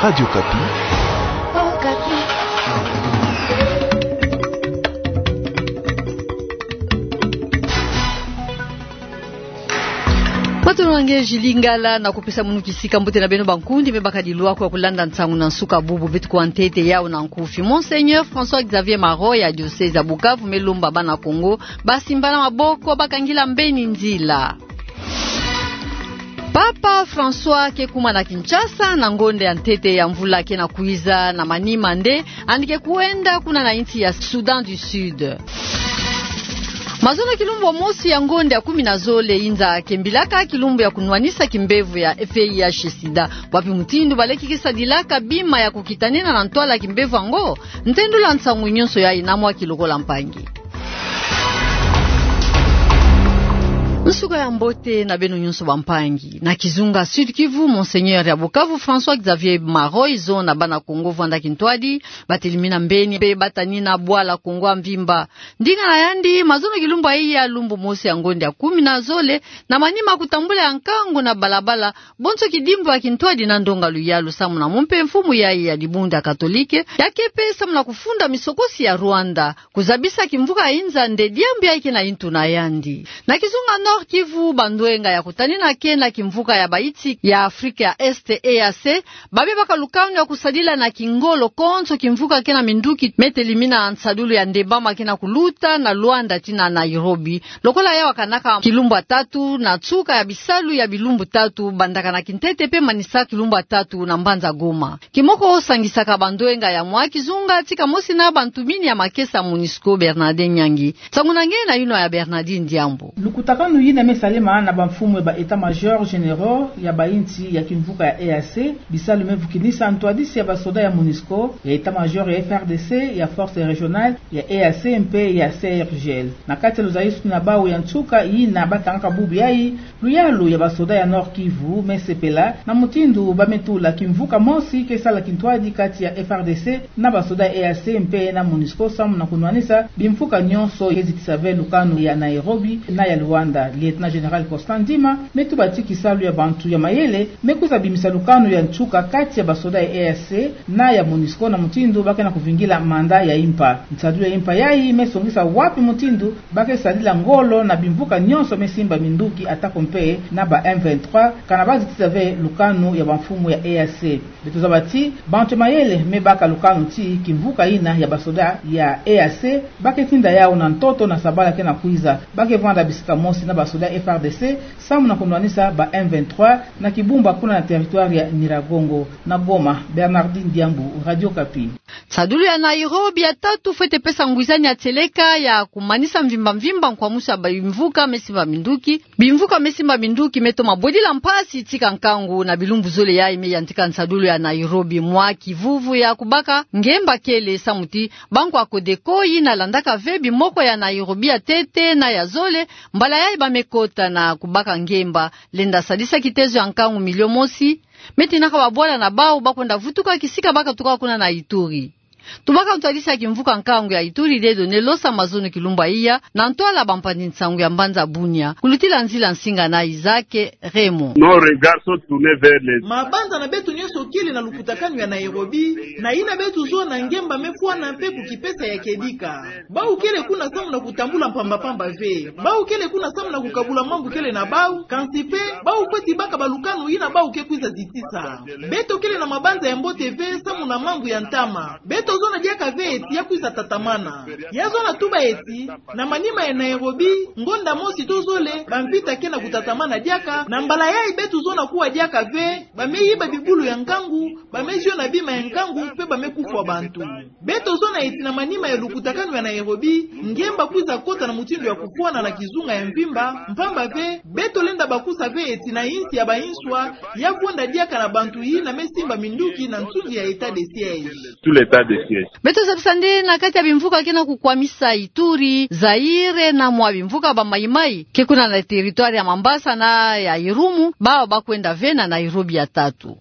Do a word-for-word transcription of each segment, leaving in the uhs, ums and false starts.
Radio Okapi. Patolo na nge Julie Ngala, na kupesa munu kisika mbote na beno bankundi me baka dilwa kwa kulanda nsangu na nsuka bubu. Beto kwa ntete yau na nkufi. Monseigneur François Xavier Maroy ya diocèse ya Bukavu me lomba bana Kongo basimbana maboko, bakangila mbeni nzila. Papa François ke kuma na Kinshasa na ngonda ya ntete ya mvula ke na kwiza, na manima nde yandi ke kwenda kuna na insi ya Soudan du Sud. Mazono kilumbu mosi ya ngonda ya kumi na zole inza ke mbilaka kilumbu ya kunwanisa kimbevo ya V I H sida. Wapi mutindu baleki ke sadilaka bima ya kukitanina na ntwala kimbevo yango? Ntendula nsangu nyonso yayi na mwa kilokola mpangi. Nsuka ya mbote na beno nyonso bampangi. Na kizunga Sud-Kivu, Monseigneur ya Bukavu François Xavier Maroy zona bana Kongo vwanda kintwadi, batelemina mbeni pe batanina bwala Kongo ya mvimba. Ndinga na yandi, mazono kilumbu ya lumbu mosi ya ngonda ya kumi na zole, na manima kutambula ya nkangu na balabala, bonso kidimbu ya kintwadi na ndonga luyalu samu na mumpe mfumu yayi ya dibundu ya Katolike, ya ke pe samu na kufunda misokosi ya Rwanda, kuzabisa kimvuka ya inza nde diambu yayi ke na intu na yandi. Na kizunga Nord-Kivu, bandwenga ya kutanina ke na kimvuka ya bainsi ya Afrika ya Est, E A C, babe baka lukanu ya kusadila na kingolo konso kimvuka ke na minduki me telemina nsadulu ya ndembama ke na kuluta na Luanda tii na Nairobi. Lokola yawakanaka kilumbu ya tatu na nsuka ya bisalu ya bilumbu tatu bandaka na kintete pe manisa kilumbu ya tatu na mbanza Goma. Kimoko sangisaka bandwenga ya mwa kizunga tika mosi na bantumini ya makesa MONUSCO, Bernardin Nyangi. Nsangu na nge na yinwa ya Bernardin Diambu. Lukutakanu yina me salema na bamfumu ya ba états-majors généraux ya bainsi ya kimvuka ya E A C, bisalu me vukinisa ntwadisi ya basoda ya MONUSCO, ya état-major ya F R D C, ya force régionale ya E A C mpe ya C R G L. Na kati ya luzayisuni na bawu ya nsuka yina batangaka bubu yayi, luyalu ya basoda ya Nord-Kivu me sepela na mutindu ba me tula kimvuka mosi ke sala kintwadi kati ya F R D C na basoda ya E A C mpe na MONUSCO samu na kunwanisa bimvuka nyonso ye zitisa ve lukanu ya Nairobi na ya Luanda. Lieutenant-général Constant Ndima me tuba ti kisalu ya bantu ya mayele me kwiza bimisa lukanu ya nsuka kati ya basoda ya E A C na ya MONUSCO na mutindu ba ke na kuvingila mandat ya impa. Nsadulu ya impa yayi me songisa wapi mutindu ba ke sadila ngolo na bimvuka nyonso me simba minduki atako mpe na ba M vingt-trois, kana ba zitisa ve lukanu ya bamfumu ya E A C. Beto zaba ti bantu ya mayele me baka lukanu ti kimvuka yina ya basoda ya E A C ba ke tinda yawu na ntoto na sabala ke na kwiza. Ba ke vwanda bisika mosi na basoda ya F R D C samu na kunwanisa ba M vingt-trois na Kibumba kuna na territoire ya Nyiragongo. Na Goma, Bernardin Diambu, Radio Okapi. Nsadulu ya Nairobi ya tatu fwete pesa ngwizani ya tieleka ya kumanisa mvimba mvimba nkwamusu ya bimvuka me simba minduki. Bimvuka me simba minduki me toma bwedila mpasi tika nkangu na bilumbu zole yayi me yantika nsadulu ya Nairobi mwa kivuvu ya kubaka ngemba kele samu ti banko ya Codeco yina landaka ve bimoko ya Nairobi ya ntete na ya zole, mbala yayi ba me kota na kubaka ngemba lenda sadisa kitezo ya nkangu milio mosi, me tinaka babwala na bawu ba kwenda vutuka kisika ba katuka kuna na Ituri. Tubaka ntwadisi ya kimvuka nkangu ya Ituri dedo ne losa mazono kilumbu ya iya na ntwala bampanzi nsangu ya mbanza Bunia. Kulutila nzila nsinga na Isaac Raymond. Nos regards sont tournés vers les... Mabanza na beto nyonso kele na lukutakanu ya Nairobi, na yina beto zona ngemba me fwana mpe kukipesa ya kedika. Bawu kele kuna samu na kutambula mpamba mpamba ve. Bawu kele kuna samu na kukabula mambu kele na bawu, kansi mpe bawu fweti baka balukanu yina bawu ke kwiza zitisa. Beto kele na mabanza ya mbote ve samu na mambu ya ntama. Beto zona diaka ve eti ya kwiza tatamana. Ya zona tuba eti, na manima ya Nairobi, ngonda mosi to zole, bamvita ke na kutatamana diaka, na mbala yayi beto zona kuwa diaka ve, ba me yiba bibulu ya nkangu, ba me ziona bima ya nkangu, mpe ba me kufwa bantu. Beto zona eti na manima ya lukutakanu ya Nairobi, ngemba kwiza kota na mutindu ya kufwana na kizunga ya mvimba, mpamba ve, beto lenda bakusa ve eti na insi ya bainswa, ya kwenda diaka na bantu yina me simba minduki na nsuzi ya état de siège. Sous l'état de siège. Beto zabisa nde na kati ya bimvuka ke na kukwamisa Ituri, Zaire na mwa bimvuka ba Maïmaï ke kuna na territoire ya Mambasa na ya Irumu, bawu ba kwenda ve na Nairobi ya tatu.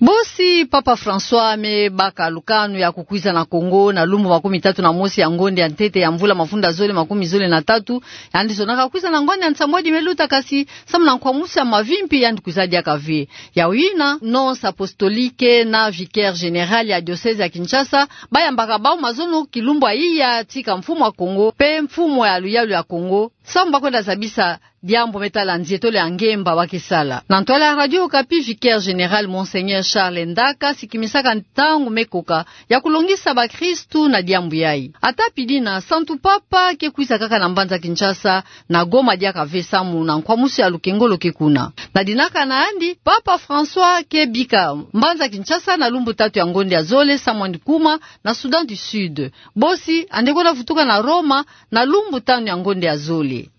Bosi Papa François me baka lukanu ya kukwiza na Kongo na lumbu makumi tatu na mosi ya ngonde ya ntete ya mvula mafunda zole makumi zole na tatu, yandi zonaka kwiza na ngwani ya nsambwadi me luta, kasi samu na nkwamusi ya mavimpi yandi kwiza diaka ve. Yawina, nonce apostolique na vicaire général ya diocèse ya Kinshasa bayambaka bau mazono kilumbu ya iya tika mfumu ya Kongo pe mfumu ya luyalu ya Kongo, samu bakwenda zabisa diambu me tala nzietolo ya ngemba ba ke sala. Na ntwala ya Radio Okapi, vicaire général Monseigneur Charles Ndaka sikimisaka ntangu me koka ya kulongisa bakristu na diambu yayi. Ata pidina, Santu Papa ke kwiza kaka na mbanza Kinshasa, na Goma diaka ve samu na nkwamusi ya lukengolo ke kuna. Na dinaka na yandi, Papa François ke bika mbanza Kinshasa na lumbu tatu ya ngonde ya zole samu yandi kuma na Soudan du Sud. Bosi, yandi kwenda vutuka na Roma na lumbu tanu ya ngonde ya zole.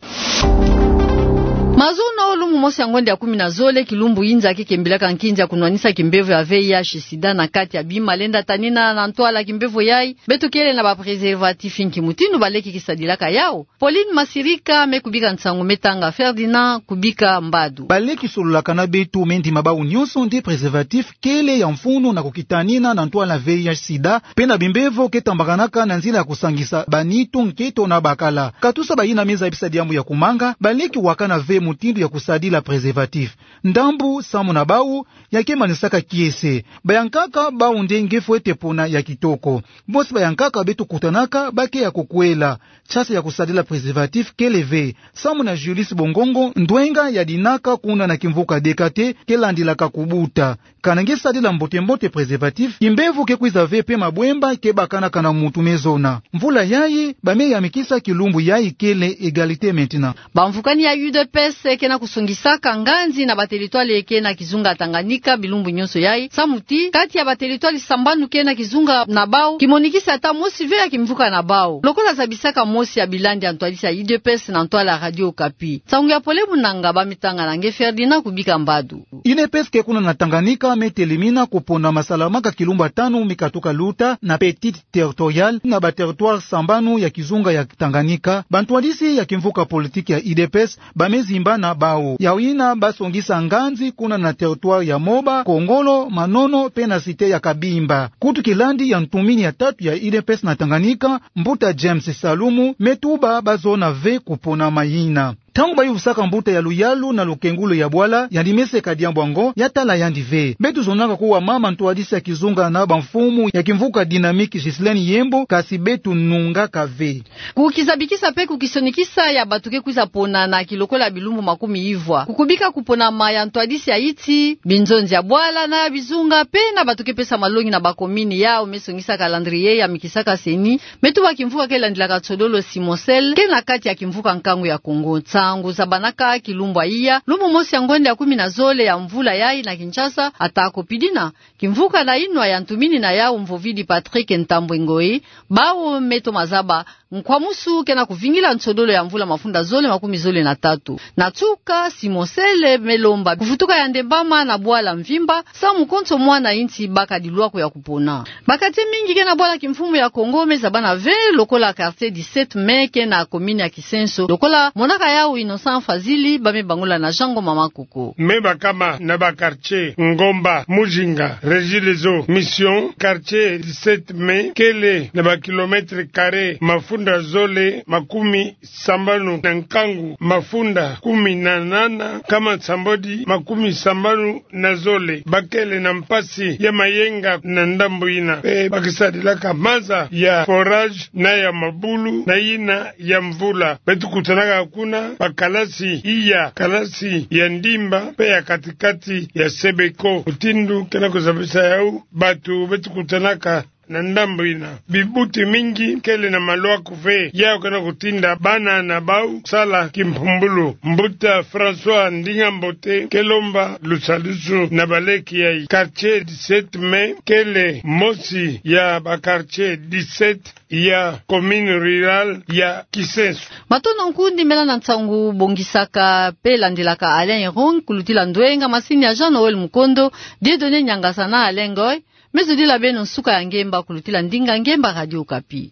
Mazono, lumbu mosi ya ngonde ya kumi na zole, kilumbu inza ke kembilaka nkinzi ya kunwanisa kimbevo ya V I H sida na kati ya bima lenda tanina na ntwala kimbevo yayi, beto kele na ba préservatif nki mutindu baleke ke sadilaka yau? Pauline Masirika me kubika nsangu, me tanga Ferdinand Kubika Mbadu. Baleke sololaka na beto me ndima bau nyonso nde préservatif kele ya mfunu na kukitanina na ntwala V I H sida, pe na bimbevo ke tambakanaka na nzila ya kusangisa banitu, nketo na bakala. Katusa bayina me zabisa diambu ya kumanga, baleke wakana ve mutindu ya kusadila préservatif. Ndambu samu na bau ya ke manisaka kiese. Bayankaka bau nde nge fwete pona ya kitoko. Bosi bayankaka beto kutanaka ba ke ya kukwela. Chance ya kusadila préservatif kele ve. Samu na Julius Bongongo, ndwenga ya dinaka kuna na kimvuka D K T, ke landilaka kubuta. Kana nge sadila mbote-mbote préservatif, kimbevo ke kwiza ve pe mabwemba ke bakanaka na muntu me zona. Mvula yayi, ba me yamikisa kilumbu yayi kele Égalité maintenant. Bamvukani ya U D P S ke na kusongisaka nganzi na ba territoire ke na kizunga Tanganyika bilumbu nyonso yayi, samu ti kati ya ba territoire sambanu ke na kizunga na bau, kimonikisi ata mosi ve ya kimvuka na bau. Lokola zabisaka mosi ya bilandi ya ntwadisi ya U D P S na ntwala Radio Okapi, nsangu ya Pole Munanga ba me tanga na nge Ferdinand Kubika Mbadu. U D P S ke kuna na Tanganyika me telemina kupona masalamaka kilumbu tanu me katuka luta na Petite Territoriale na ba territoire sambanu ya kizunga ya Tanganyika. Bantwadisi ya kimvuka politique ya U D P S ba me zimbana bau. Yawina ba songisa nganzi kuna na territoire ya Moba, Kongolo, Manono, pe na cité ya Kabimba. Kutu kilandi ya ntumini ya tatu ya U D P S na Tanganyika, mbuta James Salumu, me tuba ba zona ve kupona mayina. Ntangu ba yuvusaka mbuta ya luyalu na lukengulu ya bwala, yandi me seka diambu yango, ya tala yandi ve. Beto zonaka kuwa mama ntwadisi ya kizunga na bamfumu ya kimvuka dynamique Ghislaine Yembo, kasi beto nungaka ve. Kukizabikisa pe kukisonikisa ya bato ke kwiza pona na kilokola bilumbu makumi ivwa. Kukubika kuponama ya ntwadisi ya iti, binzonzi ya bwala na ya bizunga, pe na bato ke pesa malongi na bakomini yau me songisa calendrier yamikisaka CENI, me tuba kimvuka ke landilaka nsodolo Simon Sel, ke na kati ya kimvuka nkangu ya Kongo. Nsangu zabanaka kilumbu ya iya, lumbu mosi ya ngonde ya kumi na zole ya mvula yayi na Kinshasa, ata ko pidina, kimvuka na inwa ya ntumini na yau Mvovidi Patrick Ntambwe Ngoyi, bau me toma zaba nkwamusu ke na kuvingila nsodolo ya mvula mafunda zole makumi zole na tatu. Na nsuka, Simon Sel me lomba kuvutuka ya ndembama na bwala mvimba, samu konso mwana insi baka dilwako ya kupona. Ba quartier mingi ke na bwala kimfumu ya Kongo me zabana ve, lokola quartier dix-sept mai ke na commune ya Kisenso, lokola monaka yau Innocent Fazili, ba me bangula na Jean Ngoma Makoko. Me bakama na ba quartier Ngomba, Muzinga, Regideso, Mission, quartier dix-sept mai, kele na ba kilomètres carrés mafunda zole makumi sambanu na nkangu, mafunda kumi na nana, nkama nsambwadi makumi sambanu na zole. Ba kele na mpasi ya mayenga na ndambu yina. Pe ba ke sadilaka maza ya forage na ya mabulu na yina ya mvula. Beto kutanaka kuna ba kalasi iya, kalasi ya ndimba, pe ya kati-kati ya Sebeko. Mutindu ke na kuzabisa yau, bato beto kutanaka na ndambu yina. Bibuti mingi kele na malwaku ve, yau ke na kutinda bana na bau sala kimpumbulu. Mbuta François Ndinga Mbote ke lomba lusadisu na baleke yayi. Quartier dix-sept mai kele mosi ya ba quartier dix-sept ya commune rurale ya Kisenso. Matondo nkundi, mela na nsangu bongisaka pe landilaka Alain Irung, kulutila ndwenga masini ya Jean Noël Mukondo, Dieudonné Niangasa na Alain Ngoy. Me zodila beno nsuka ya ngemba kulutila ndinga ngemba Radio Okapi.